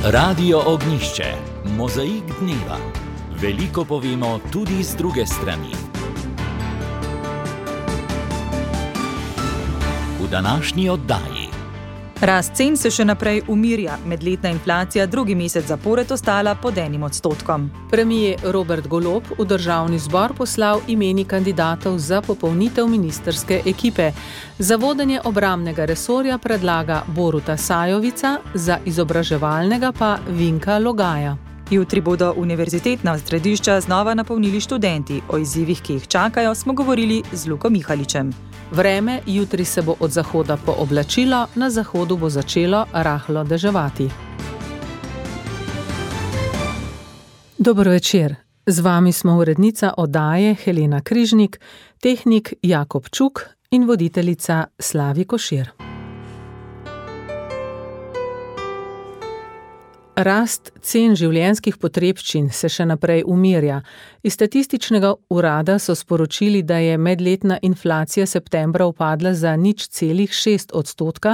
Radio Ognjišče, mozaik dneva. Veliko povemo tudi z druge strani. V današnji oddaji. Rast cen se še naprej umirja, medletna inflacija drugi mesec zapored ostala pod 1%. Premier Robert Golob v državni zbor poslal imeni kandidatov za popolnitev ministrske ekipe. Za vodenje obrambnega resorja predlaga Boruta Sajovica, za izobraževalnega pa Vinka Logaja. Jutri bodo univerzitetna središča znova napolnili študenti. O izzivih, ki jih čakajo, smo govorili z Luko Mihaličem. Vreme jutri se bo od zahoda pooblačilo, na zahodu bo začelo rahlo deževati. Dobro večer. Z vami smo urednica oddaje Helena Križnik, tehnik Jakob Čuk in voditeljica Slavi Košir. Rast cen življenjskih potrebščin se še naprej umirja. Iz statističnega urada so sporočili, da je medletna inflacija septembra upadla za 0,6%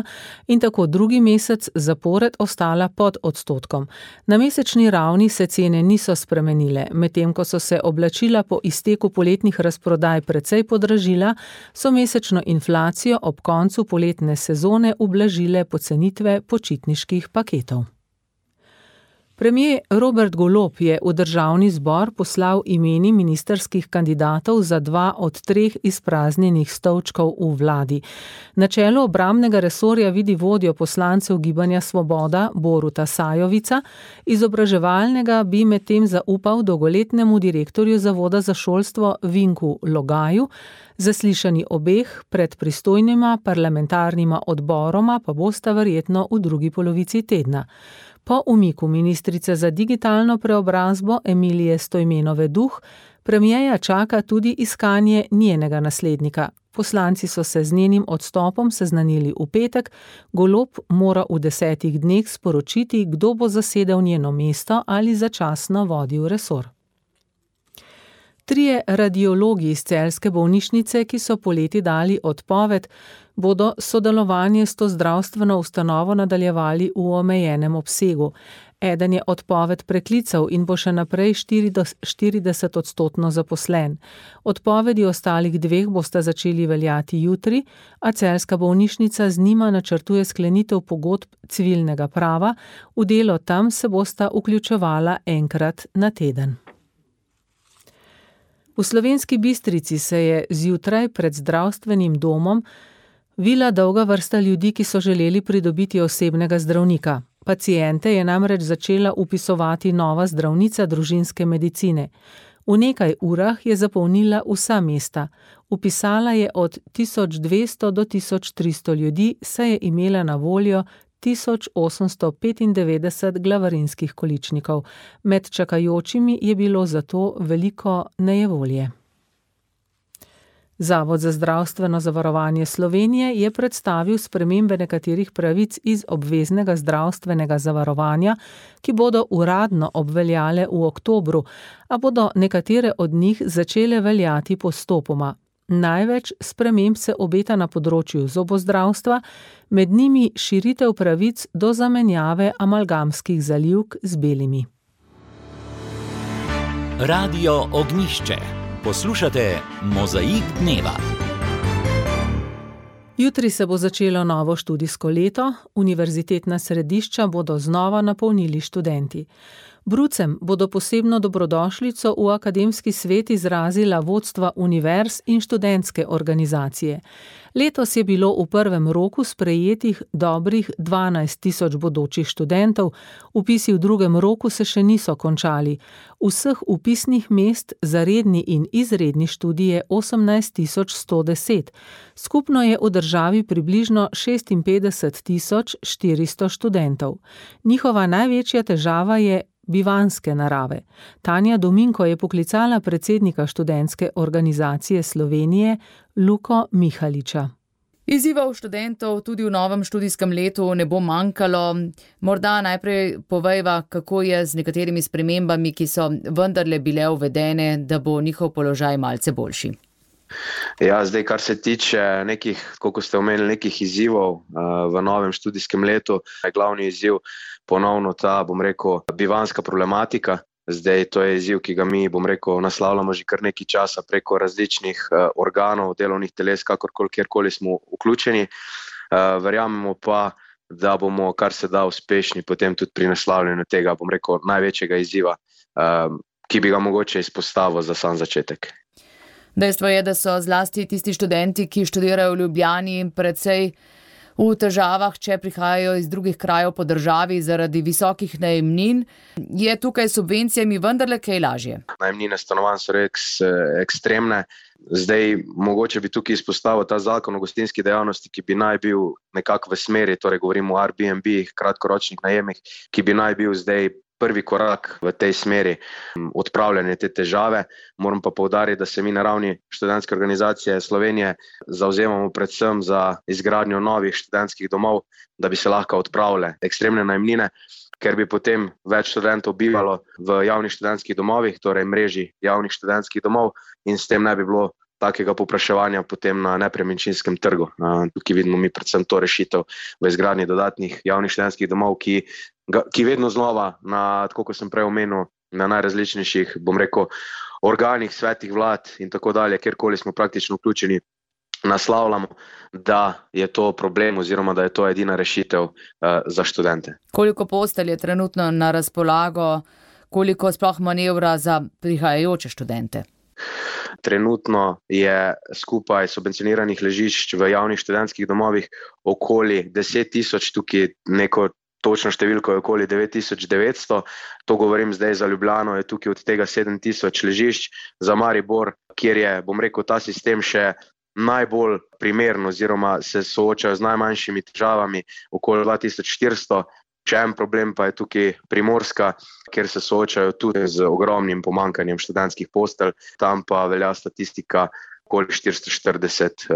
in tako drugi mesec zapored ostala pod odstotkom. Na mesečni ravni se cene niso spremenile, medtem ko so se oblačila po izteku poletnih razprodaj precej podražila, so mesečno inflacijo ob koncu poletne sezone ublažile pocenitve počitniških paketov. Premier Robert Golob je v državni zbor poslal imeni ministrskih kandidatov za 2 od 3 izpraznjenih stolčkov v vladi. Na čelu obrambnega resorja vidi vodjo poslancev Gibanja Svoboda Boruta Sajovica, izobraževalnega bi medtem zaupal dolgoletnemu direktorju Zavoda za šolstvo Vinku Logaju, zaslišanji obeh pred pristojnima parlamentarnima odboroma pa bosta verjetno v drugi polovici tedna. Po umiku ministrice za digitalno preobrazbo Emilije Stojmenove Duh, premierja čaka tudi iskanje njenega naslednika. Poslanci so se z njenim odstopom seznanili v petek, Golob mora v 10 dneh sporočiti, kdo bo zasedel njeno mesto ali začasno vodil resor. 3 radiologi iz celjske bolnišnice, ki so poleti dali odpoved, bodo sodelovanje s to zdravstveno ustanovo nadaljevali v omejenem obsegu. Eden je odpoved preklical in bo še naprej 40% zaposlen. Odpovedi ostalih 2 bosta začeli veljati jutri, a celjska bolnišnica z njima načrtuje sklenitev pogodb civilnega prava, v delo tam se bosta vključevala enkrat na teden. V Slovenski Bistrici se je zjutraj pred zdravstvenim domom vila dolga vrsta ljudi, ki so želeli pridobiti osebnega zdravnika. Paciente je namreč začela vpisovati nova zdravnica družinske medicine. V nekaj urah je zapolnila vsa mesta. Vpisala je od 1200 do 1300 ljudi, saj je imela na voljo 1895 glavarinskih količnikov. Med čakajočimi je bilo zato veliko nejevolje. Zavod za zdravstveno zavarovanje Slovenije je predstavil spremembe nekaterih pravic iz obveznega zdravstvenega zavarovanja, ki bodo uradno obveljale v oktobru, a bodo nekatere od njih začele veljati postopoma. Največ sprememb se obeta na področju zobozdravstva, med njimi širitev pravic do zamenjave amalgamskih zalivk z belimi. Radio Ognjišče. Poslušate mozaik dneva. Jutri se bo začelo novo študijsko leto, univerzitetna središča bodo znova napolnili študenti. Brucem bodo posebno dobrodošlico v akademski svet izrazila vodstva univerz in študentske organizacije. Letos je bilo v prvem roku sprejetih dobrih 12.000 bodočih študentov, vpisi v drugem roku se še niso končali. Vseh vpisnih mest za redni in izredni študij je 18.110. Skupno je v državi približno 56.400 študentov. Njihova največja težava je bivanjske narave. Tanja Dominko je poklicala predsednika študentske organizacije Slovenije, Luko Mihaliča. Izzivov študentov tudi v novem študijskem letu ne bo manjkalo. Morda najprej povejva, kako je z nekaterimi spremembami, ki so vendarle bile uvedene, da bo njihov položaj malce boljši. Ja, zdaj, kar se tiče nekih, kot ste omenili, nekih izzivov v novem študijskem letu, je glavni izziv ponovno ta, bivanjska problematika. Zdaj, to je izziv, ki ga mi, naslavljamo že kar nekaj časa preko različnih organov, delovnih teles, kjerkoli smo vključeni. Verjamemo pa, da bomo kar se da uspešni potem tudi pri naslavljanju tega, največjega izziva, ki bi ga mogoče izpostavil za sam začetek. Dejstvo je, da so zlasti tisti študenti, ki študirajo v Ljubljani, precej v težavah, če prihajajo iz drugih krajev po državi zaradi visokih najemnin. Je tukaj s subvencijami vendarle kaj lažje? Najemnine stanovanj so ekstremne. Zdaj, mogoče bi tukaj izpostavil ta zakon o gostinski dejavnosti, ki bi naj bil nekako v smeri, torej govorimo o Airbnb, kratkoročnih najemih, ki bi naj bil zdaj prvi korak v tej smeri odpravljanja te težave. Moram pa poudariti, da se mi na ravni študentske organizacije Slovenije zavzemamo predvsem za izgradnjo novih študentskih domov, da bi se lahko odpravile ekstremne najemnine, ker bi potem več študentov bivalo v javnih študentskih domovih, torej mreži javnih študentskih domov, in s tem ne bi bilo takega povpraševanja potem na nepremičninskem trgu. Tukaj vidimo mi predvsem to rešitev v izgradnji dodatnih javnih študentskih domov, ki vedno znova, tako kot sem prej omenil, na najrazličnejših, organih, svetih vlad in tako dalje, kjerkoli smo praktično vključeni, naslavljamo, da je to problem oziroma da je to edina rešitev za študente. Koliko postelj je trenutno na razpolago, koliko sploh manevra za prihajajoče študente? Trenutno je skupaj subvencioniranih ležišč v javnih študentskih domovih okoli 10.000, tukaj neko točno številko je okoli 9.900. To govorim zdaj za Ljubljano, je tukaj od tega 7.000 ležišč. Za Maribor, kjer je, ta sistem še najbolj primeren oziroma se soočajo z najmanjšimi težavami, okoli 2.400. Še en problem pa je tukaj Primorska, kjer se soočajo tudi z ogromnim pomanjkanjem študentskih postelj. Tam pa velja statistika okoli 440,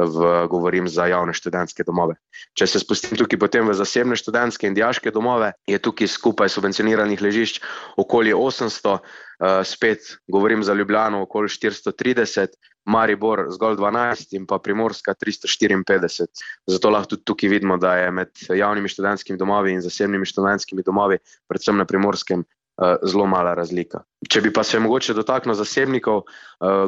govorim za javne študentske domove. Če se spustim tukaj potem v zasebne študentske in dijaške domove, je tukaj skupaj subvencioniranih ležišč okoli 800, spet govorim za Ljubljano okoli 430, Maribor zgolj 12 in pa Primorska 354. Zato lahko tudi tukaj vidimo, da je med javnimi študentskimi domovi in zasebnimi študentskimi domovi, predvsem na Primorskem, zelo mala razlika. Če bi pa se mogoče dotaknil zasebnikov,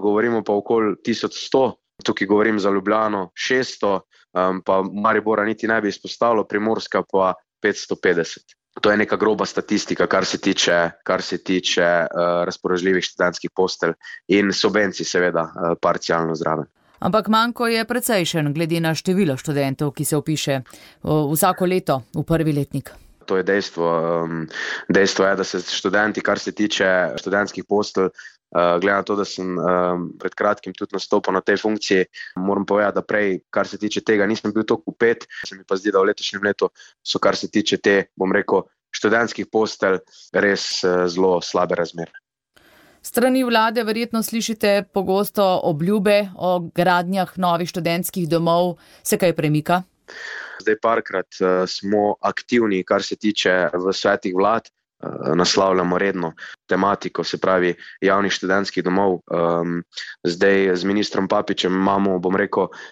govorimo pa okoli 1100, tukaj govorim za Ljubljano 600, pa Maribora niti ne bi izpostavilo, Primorska pa 550. To je neka groba statistika, kar se tiče razpoložljivih študentskih postelj in subvencij seveda parcialno zraven. Ampak manko je precejšen glede na število študentov, ki se vpiše vsako leto v prvi letnik. To je dejstvo. Dejstvo je, da se študenti, kar se tiče študentskih postelj, glede na to, da sem pred kratkim tudi nastopil na tej funkciji, moram povedati, da prej, kar se tiče tega, nisem bil toliko vpet. Se mi pa zdi, da v letošnjem letu so, kar se tiče te, študentskih postelj, res zelo slabe razmere. Strani vlade verjetno slišite pogosto obljube o gradnjah novih študentskih domov. Se kaj premika? Zdaj parkrat smo aktivni, kar se tiče v svetih vlad, naslavljamo redno tematiko, se pravi javnih študentskih domov. Zdaj z ministrom Papičem imamo,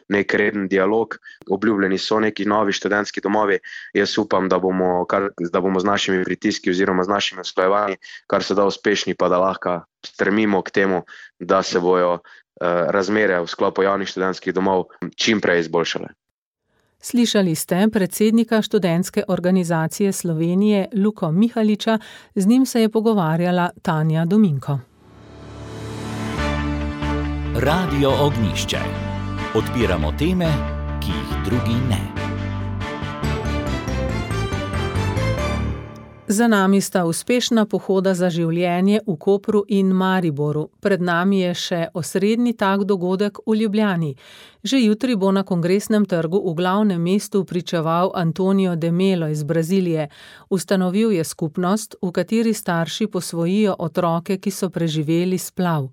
nek reden dialog. Obljubljeni so neki novi študentski domovi. Jaz upam, da bomo z našimi pritiski oziroma z našimi usklajevanji kar se da uspešni, pa da lahko stremimo k temu, da se bojo razmere v sklopu javnih študentskih domov čim prej izboljšale. Slišali ste predsednika študentske organizacije Slovenije Luko Mihaliča, z njim se je pogovarjala Tanja Dominko. Radio Ognjišče. Odpiramo teme, ki jih drugi ne. Za nami sta uspešna pohoda za življenje v Kopru in Mariboru. Pred nami je še osrednji tak dogodek v Ljubljani. Že jutri bo na Kongresnem trgu v glavnem mestu pričeval Antonio de Melo iz Brazilije. Ustanovil je skupnost, v kateri starši posvojijo otroke, ki so preživeli splav.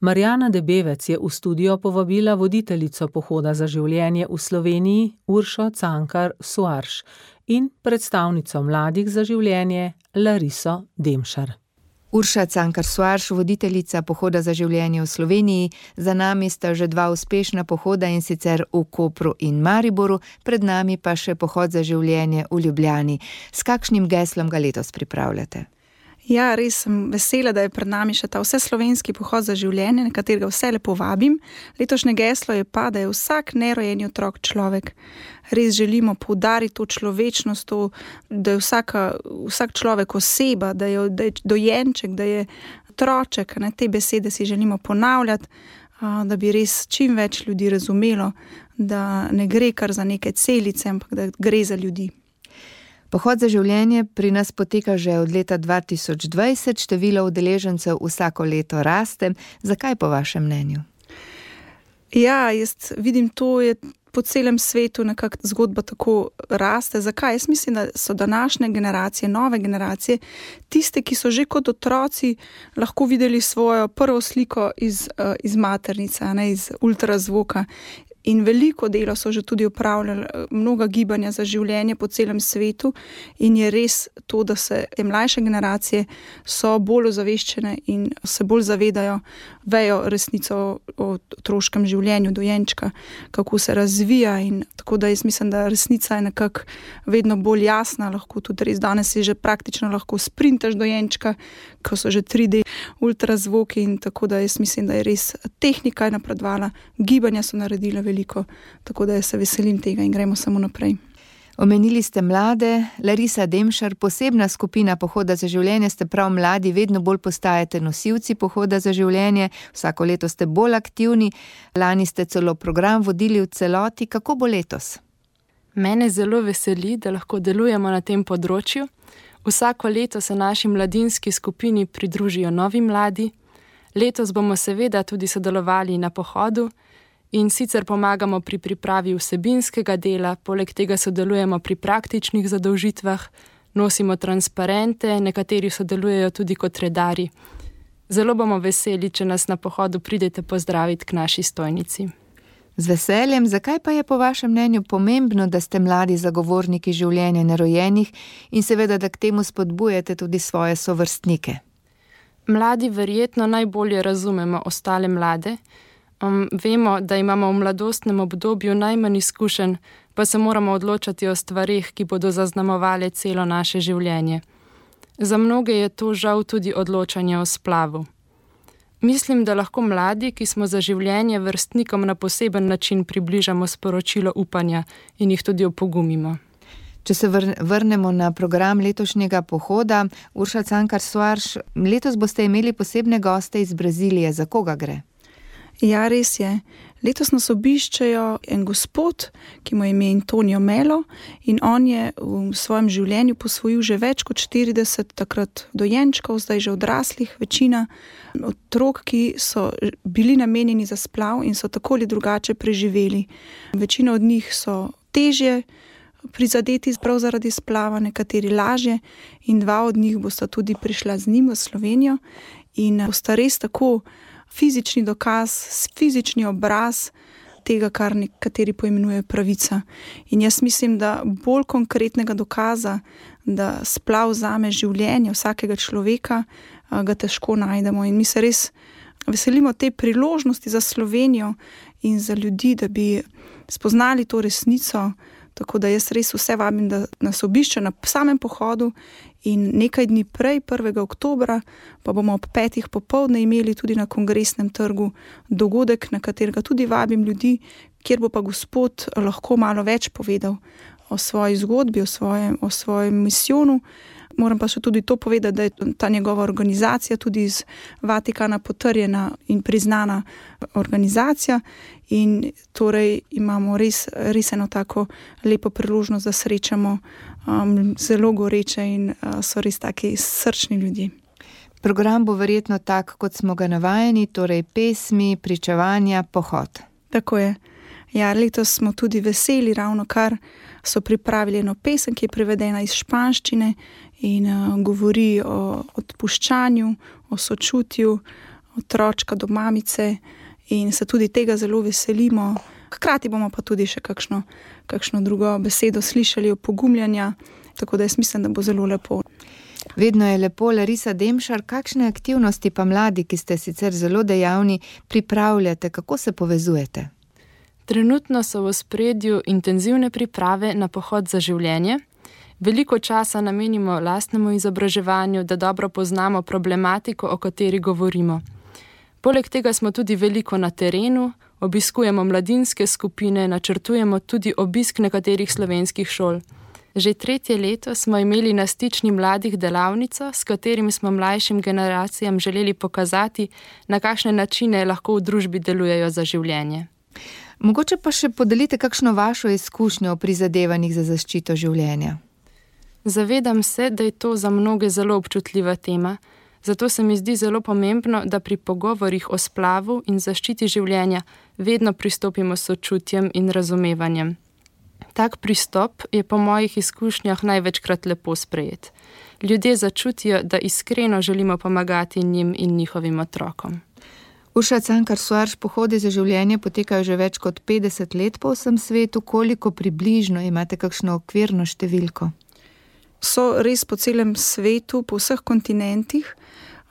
Marjana Debevec je v studio povabila voditeljico pohoda za življenje v Sloveniji, Uršo Cankar Suarš, in predstavnico Mladih za življenje, Lariso Demšar. Urša Cankar-Soarš, voditeljica Pohoda za življenje v Sloveniji. Za nami sta že 2 uspešna pohoda, in sicer v Kopru in Mariboru, pred nami pa še Pohod za življenje v Ljubljani. S kakšnim geslom ga letos pripravljate? Ja, res sem vesela, da je pred nami še ta vseslovenski pohod za življenje, na katerega vse lepo vabim. Letošnje geslo je pa, da je vsak nerojeni otrok človek. Res želimo poudariti to človečnost, to, da je vsak človek oseba, da je dojenček, da je otroček. Te besede si želimo ponavljati, da bi res čim več ljudi razumelo, da ne gre kar za neke celice, ampak da gre za ljudi. Pohod za življenje pri nas poteka že od leta 2020, število udeležencev vsako leto raste. Zakaj po vašem mnenju? Ja, jaz vidim, to je po celem svetu nekako zgodba tako raste. Zakaj? Jaz mislim, da so današnje generacije, nove generacije, tiste, ki so že kot otroci lahko videli svojo prvo sliko iz maternice, iz ultrazvoka. In veliko dela so že tudi opravljali, mnoga gibanja za življenje po celem svetu, in je res to, da se te mlajše generacije so bolj ozaveščene in se bolj zavedajo, vejo resnico o otroškem življenju dojenčka, kako se razvija, in tako da jaz mislim, da resnica je nekako vedno bolj jasna, lahko tudi res danes si že praktično lahko sprintaš dojenčka, ko so že 3D ultrazvoki, in tako da jaz mislim, da je res tehnika je napredovala, gibanja so naredila veliko, tako da jaz se veselim tega in gremo samo naprej. Omenili ste mlade. Larisa Demšar, posebna skupina Pohoda za življenje ste prav mladi, vedno bolj postajate nosilci Pohoda za življenje, vsako leto ste bolj aktivni, lani ste celo program vodili v celoti. Kako bo letos? Mene zelo veseli, da lahko delujemo na tem področju. Vsako leto se naši mladinski skupini pridružijo novi mladi. Letos bomo seveda tudi sodelovali na pohodu, in sicer pomagamo pri pripravi vsebinskega dela, poleg tega sodelujemo pri praktičnih zadolžitvah, nosimo transparente, nekateri sodelujejo tudi kot redarji. Zelo bomo veseli, če nas na pohodu pridete pozdraviti k naši stojnici. Z veseljem. Zakaj pa je po vašem mnenju pomembno, da ste mladi zagovorniki življenja nerojenih in seveda, da k temu spodbujate tudi svoje sovrstnike? Mladi verjetno najbolje razumemo ostale mlade. Vemo, da imamo v mladostnem obdobju najmanj izkušenj, pa se moramo odločati o stvarih, ki bodo zaznamovale celo naše življenje. Za mnoge je to žal tudi odločanje o splavu. Mislim, da lahko mladi, ki smo za življenje vrstnikom na poseben način približamo sporočilo upanja in jih tudi opogumimo. Če se vrnemo na program letošnjega pohoda, Urša Cankar-Soarš, letos boste imeli posebne goste iz Brazilije. Za koga gre? Ja, res je. Letos nas obiščejo en gospod, ki mu je ime Antonio Melo, in on je v svojem življenju posvojil že več kot 40 takrat dojenčkov, zdaj že odraslih, večina otrok, ki so bili namenjeni za splav in so tako ali drugače preživeli. Večina od njih so težje prizadeti prav zaradi splava, nekateri lažje, in 2 od njih bosta tudi prišla z njim v Slovenijo in bosta res tako fizični dokaz, fizični obraz tega, kar nekateri poimenujejo pravica. In jaz mislim, da bolj konkretnega dokaza, da splav vzame življenje vsakega človeka, ga težko najdemo. In mi se res veselimo te priložnosti za Slovenijo in za ljudi, da bi spoznali to resnico. Tako da jaz res vse vabim, da nas obišče na samem pohodu, in nekaj dni prej, 1. oktobra, pa bomo ob 5. popoldne imeli tudi na Kongresnem trgu dogodek, na katerega tudi vabim ljudi, kjer bo pa gospod lahko malo več povedal o svoji zgodbi, o svojem misijonu. Moram pa še tudi to povedati, da je ta njegova organizacija tudi iz Vatikana potrjena in priznana organizacija, in torej imamo res eno tako lepo priložnost, da srečamo zelo goreče in so res taki srčni ljudje. Program bo verjetno tak, kot smo ga navajeni, torej pesmi, pričevanja, pohod. Tako je. Ja, letos smo tudi veseli, ravno kar so pripravili eno pesem, ki je prevedena iz španščine in govori o odpuščanju, o sočutju otročka do mamice, in se tudi tega zelo veselimo. Hkrati bomo pa tudi še kakšno drugo besedo slišali, opogumljanja, tako da jaz mislim, da bo zelo lepo. Vedno je lepo. Larisa Demšar, kakšne aktivnosti pa mladi, ki ste sicer zelo dejavni, pripravljate, kako se povezujete? Trenutno so v ospredju intenzivne priprave na pohod za življenje. Veliko časa namenimo lastnemu izobraževanju, da dobro poznamo problematiko, o kateri govorimo. Poleg tega smo tudi veliko na terenu, obiskujemo mladinske skupine, načrtujemo tudi obisk nekaterih slovenskih šol. Že 3. leto smo imeli na Stični mladih delavnico, s katerim smo mlajšim generacijam želeli pokazati, na kakšne načine lahko v družbi delujejo za življenje. Mogoče pa še podelite kakšno vašo izkušnjo o prizadevanjih za zaščito življenja. Zavedam se, da je to za mnoge zelo občutljiva tema, zato se mi zdi zelo pomembno, da pri pogovorih o splavu in zaščiti življenja vedno pristopimo s sočutjem in razumevanjem. Tak pristop je po mojih izkušnjah največkrat lepo sprejet. Ljudje začutijo, da iskreno želimo pomagati njim in njihovim otrokom. Urša Cankar-Soarš, pohodi za življenje potekajo že več kot 50 let po vsem svetu. Koliko približno imate kakšno okvirno številko? So res po celem svetu, po vseh kontinentih.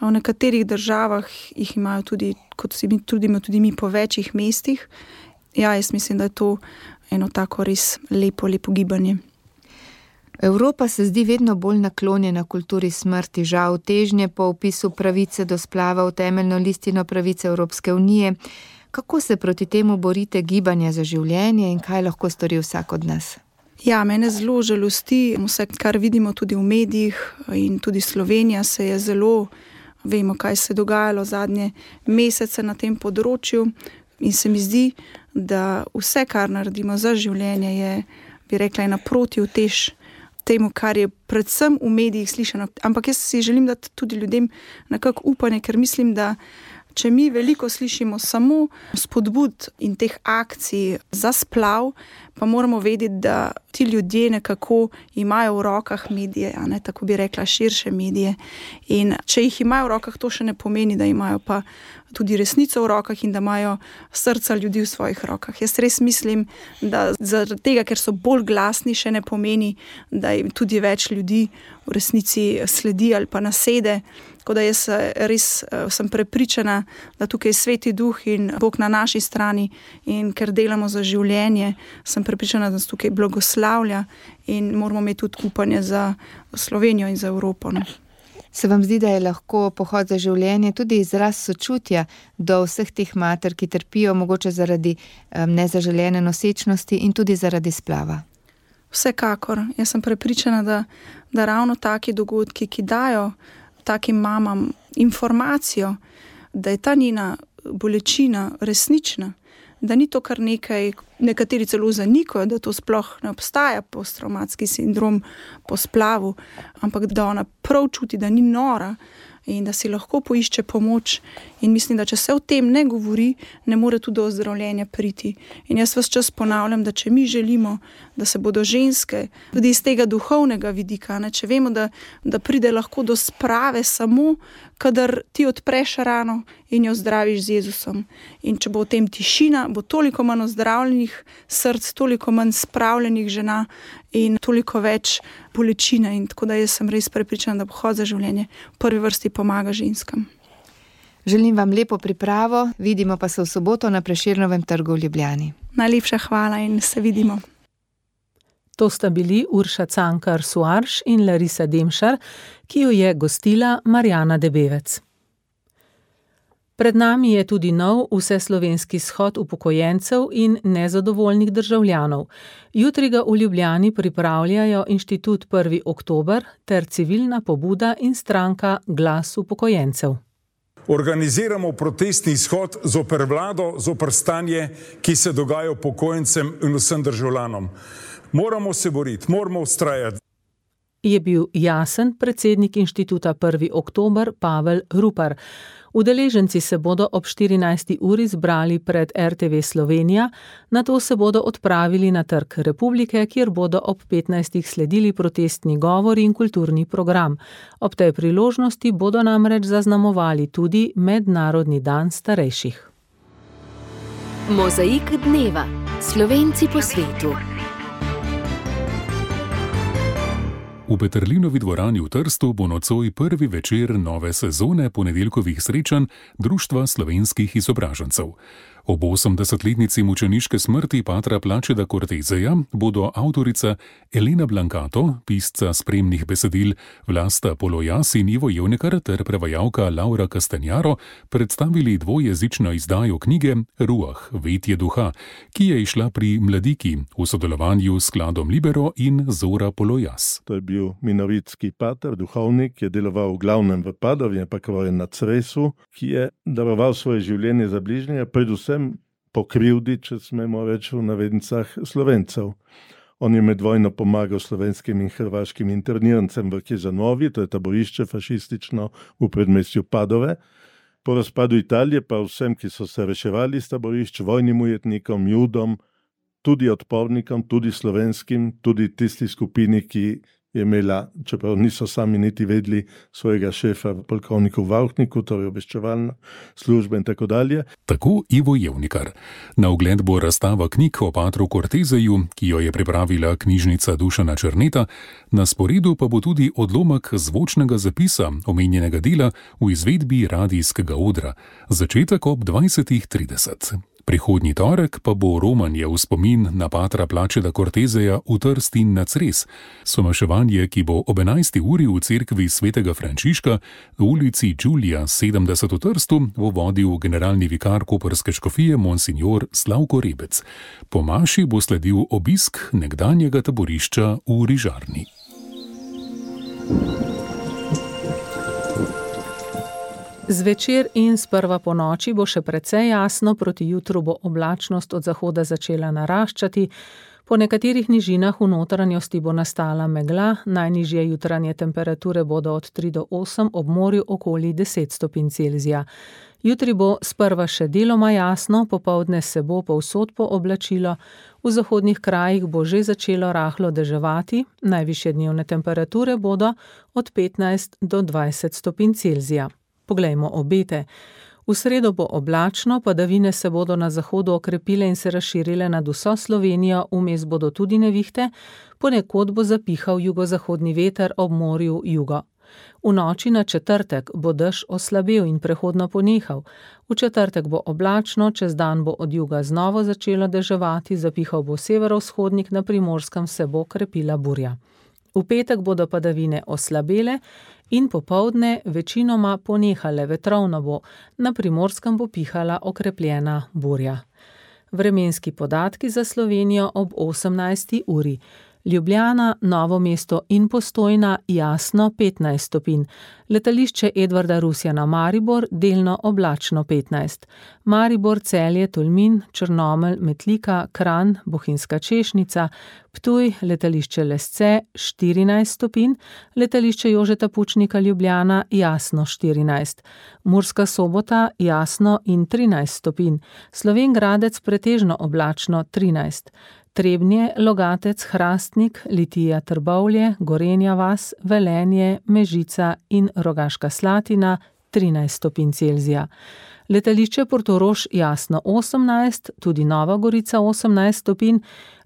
V nekaterih državah jih imajo tudi, kot si mi trudimo, tudi mi po večjih mestih. Ja, jaz mislim, da je to eno tako res lepo gibanje. Evropa se zdi vedno bolj naklonjena kulturi smrti. Žal težnje po vpisu pravice do splava v temeljno listino pravice Evropske unije. Kako se proti temu borite gibanja za življenje in kaj lahko stori vsak od nas? Ja, mene zelo žalosti vse, kar vidimo tudi v medijih, in tudi Slovenija se je zelo, vemo, kaj se je dogajalo zadnje mesece na tem področju, in se mi zdi, da vse, kar naredimo za življenje, je, bi rekla, naproti utež temu, kar je predvsem v medijih slišano. Ampak jaz si želim dati tudi ljudem nekako upanje, ker mislim, da če mi veliko slišimo samo spodbud in teh akcij za splav, pa moramo vedeti, da ti ljudje nekako imajo v rokah medije, a ne, tako bi rekla, širše medije. In če jih imajo v rokah, to še ne pomeni, da imajo pa tudi resnico v rokah in da imajo srca ljudi v svojih rokah. Jaz res mislim, da zaradi tega, ker so bolj glasni, še ne pomeni, da jim tudi več ljudi v resnici sledi ali pa nasede. Tako da jaz res sem prepričana, da tukaj je Sveti Duh in Bog na naši strani, in ker delamo za življenje, sem prepričana, da nas tukaj blagoslavlja in moramo imeti tudi upanje za Slovenijo in za Evropo. Ne? Se vam zdi, da je lahko pohod za življenje tudi izraz sočutja do vseh teh mater, ki trpijo mogoče zaradi nezaželene nosečnosti in tudi zaradi splava? Vsekakor. Jaz sem prepričana, da ravno taki dogodki, ki dajo takim mamam informacijo, da je ta njena bolečina resnična, da ni to kar nekaj, nekateri celo zanikajo, da to sploh ne obstaja posttravmatski sindrom po splavu, ampak da ona prav čuti, da ni nora in da si lahko poišče pomoč. In mislim, da če se o tem ne govori, ne more tudi do ozdravljenja priti. In jaz ves čas ponavljam, da če mi želimo, da se bodo ženske tudi iz tega duhovnega vidika, ne, če vemo, da pride lahko do sprave samo, kadar ti odpreš rano in jo zdraviš z Jezusom. In če bo v tem tišina, bo toliko manj ozdravljenih src, toliko manj spravljenih žena in toliko več bolečine. In tako da jaz sem res prepričana, da pohod za življenje v prvi vrsti pomaga ženskam. Želim vam lepo pripravo, vidimo pa se v soboto na Prešernovem trgu v Ljubljani. Najlepša hvala in se vidimo. To sta bili Urša Cankar-Soarš in Larisa Demšar, ki jo je gostila Marjana Debevec. Pred nami je tudi nov vseslovenski shod upokojencev in nezadovoljnih državljanov. Jutri ga v Ljubljani pripravljajo Inštitut 1. oktober ter civilna pobuda in stranka Glas upokojencev. Organiziramo protestni shod zoper vlado, zoper stanje, ki se dogaja upokojencem in vsem državljanom. Moramo se boriti, moramo vztrajati. Je bil jasen predsednik Inštituta 1. oktober Pavel Rupar. Udeleženci se bodo ob 14. uri zbrali pred RTV Slovenija, nato se bodo odpravili na Trg Republike, kjer bodo ob 15. sledili protestni govori in kulturni program. Ob tej priložnosti bodo namreč zaznamovali tudi Mednarodni dan starejših. Mozaik dneva. Slovenci po svetu. V Peterlinovi dvorani v Trstu bo nocoj prvi večer nove sezone ponedeljkovih srečanj Društva slovenskih izobražencev. Ob 80-letnici mučeniške smrti patra Plačeda Corteseja bodo avtorica Elena Blancato, pisca spremnih besedil Vlasta Polojas in Ivo Jevnikar ter prevajalka Laura Castagnaro predstavili dvojezično izdajo knjige Ruah, vetje duha, ki je izšla pri Mladiki v sodelovanju s skladom Libero in Zora Polojas. To je bil minovitski pater, duhovnik, ki je deloval v glavnem v Padovi, pa na Cresu, ki je daroval svoje življenje za bližnjega, predvsem po krivdi, če smemo reči v navednicah, Slovencev. On je med vojno pomagal slovenskim in hrvaškim internirancem v Chiesanovi, to je taborišče fašistično v predmestju Padove. Po razpadu Italije pa vsem, ki so se reševali iz taborišč, vojnim ujetnikom, judom, tudi odpornikom, tudi slovenskim, tudi tisti skupini, ki je imela, čeprav niso sami niti vedeli, svojega šefa, polkovniku Vauhniku, torej obveščevalna služba in tako dalje. Tako Ivo Jevnikar. Na ogled bo razstava knjig o patru Corteseju, ki jo je pripravila knjižnica Dušana Černeta, na sporedu pa bo tudi odlomek zvočnega zapisa omenjenega dela v izvedbi radijskega odra. Začetek ob 20:30. Prihodnji torek pa bo romanje v spomin na patra Plačeda Corteseja v Trst in na Cres. Somaševanje, ki bo ob 11. uri v cerkvi svetega Frančiška v ulici Đulija 70 v Trstu, bo vodil generalni vikar koprske škofije monsignor Slavko Rebec. Po maši bo sledil obisk nekdanjega taborišča v Rižarni. Zvečer in sprva po noči bo še precej jasno, proti jutru bo oblačnost od zahoda začela naraščati, po nekaterih nižinah v notranjosti bo nastala megla, najnižje jutranje temperature bodo od 3 do 8, ob morju okoli 10 stopinj Celzija. Jutri bo sprva še deloma jasno, popoldne se bo povsod pooblačilo, v zahodnih krajih bo že začelo rahlo deževati, najvišje dnevne temperature bodo od 15 do 20 stopinj Celzija. Poglejmo obete. V sredo bo oblačno, padavine se bodo na zahodu okrepile in se razširile nad vso Slovenijo, vmes bodo tudi nevihte, ponekod bo zapihal jugozahodni veter, ob morju jugo. V noči na četrtek bo dež oslabel in prehodno ponehal. V četrtek bo oblačno, čez dan bo od juga znova začelo deževati, zapihal bo severovzhodnik, na Primorskem se bo krepila burja. V petek bodo padavine oslabele in popoldne večinoma ponehale, vetrovno bo, na Primorskem bo pihala okrepljena burja. Vremenski podatki za Slovenijo ob 18. uri. Ljubljana, Novo mesto in Postojna jasno 15 stopinj. Letališče Edvarda Rusjana Maribor delno oblačno 15. Maribor, Celje, Tolmin, Črnomelj, Metlika, Kranj, Bohinjska Češnica, Ptuj, letališče Lesce 14 stopinj, letališče Jožeta Pučnika Ljubljana jasno 14. Murska Sobota jasno in 13 stopinj. Slovenj Gradec pretežno oblačno 13. Trebnje, Logatec, Hrastnik, Litija, Trbovlje, Gorenja vas, Velenje, Mežica in Rogaška Slatina 13 stopinj Celzija. Letališče Portorož jasno 18, tudi Nova Gorica 18 stopinj,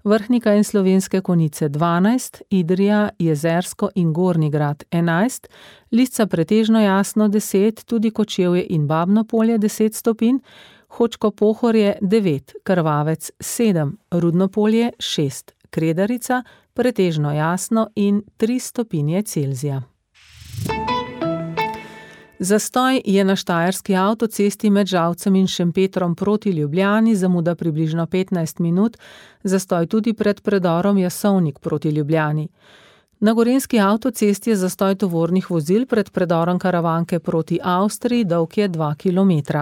Vrhnika in Slovenske Konjice 12, Idrija, Jezersko in Gornji Grad 11, Lisca pretežno jasno 10, tudi Kočevje in Babno Polje 10 stopinj, Hočko Pohorje 9, Krvavec 7, Rudno Polje 6, Kredarica pretežno jasno in 3 stopinje Celzija. Zastoj je na štajerski avtocesti med Žalcem in Šempetrom proti Ljubljani, zamuda približno 15 minut, zastoj tudi pred predorom Jasovnik proti Ljubljani. Na gorenjski avtocesti je zastoj tovornih vozil pred predorom Karavanke proti Avstriji, dolg je 2 km.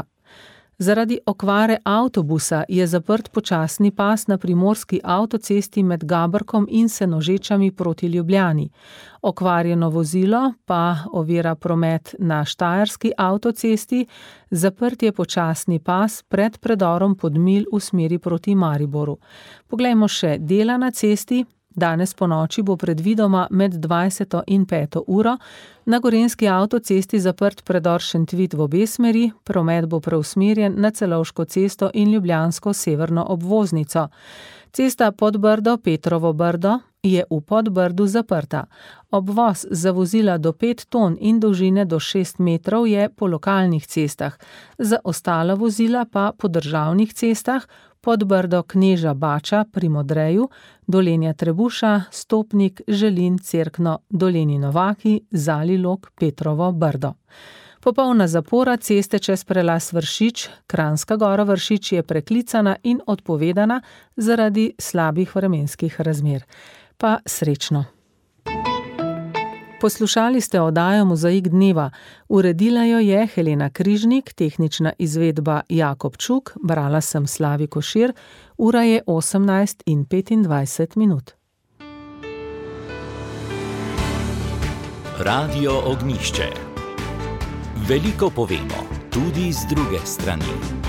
Zaradi okvare avtobusa je zaprt počasni pas na primorski avtocesti med Gabrkom in Senožečami proti Ljubljani. Okvarjeno vozilo pa ovira promet na štajerski avtocesti, zaprt je počasni pas pred predorom Podmilj v smeri proti Mariboru. Poglejmo še dela na cesti. Danes po noči bo predvidoma med 20. in 5. uro na gorenjski avtocesti zaprt predor Šentvid v obe smeri, promet bo preusmerjen na Celovško cesto in Ljubljansko severno obvoznico. Cesta Podbrdo, Petrovo Brdo, je v Podbrdu zaprta. Obvoz za vozila do 5 ton in dolžine do 6 metrov je po lokalnih cestah, za ostala vozila pa po državnih cestah Podbrdo Kneža Bača pri Modreju, Dolenja Trebuša, Stopnik, Želin, Cerkno, Dolenji Novaki, Zalilog, Petrovo, Brdo. Popolna zapora ceste čez prelaz Vršič, Kranjska Gora Vršič je preklicana in odpovedana zaradi slabih vremenskih razmer. Pa srečno. Poslušali ste oddajo Mozaik dneva. Uredila jo je Helena Križnik, tehnična izvedba Jakob Čuk, brala sem Slavi Košir, ura je 18:25. Radio Ognjišče. Veliko povemo, tudi z druge strani.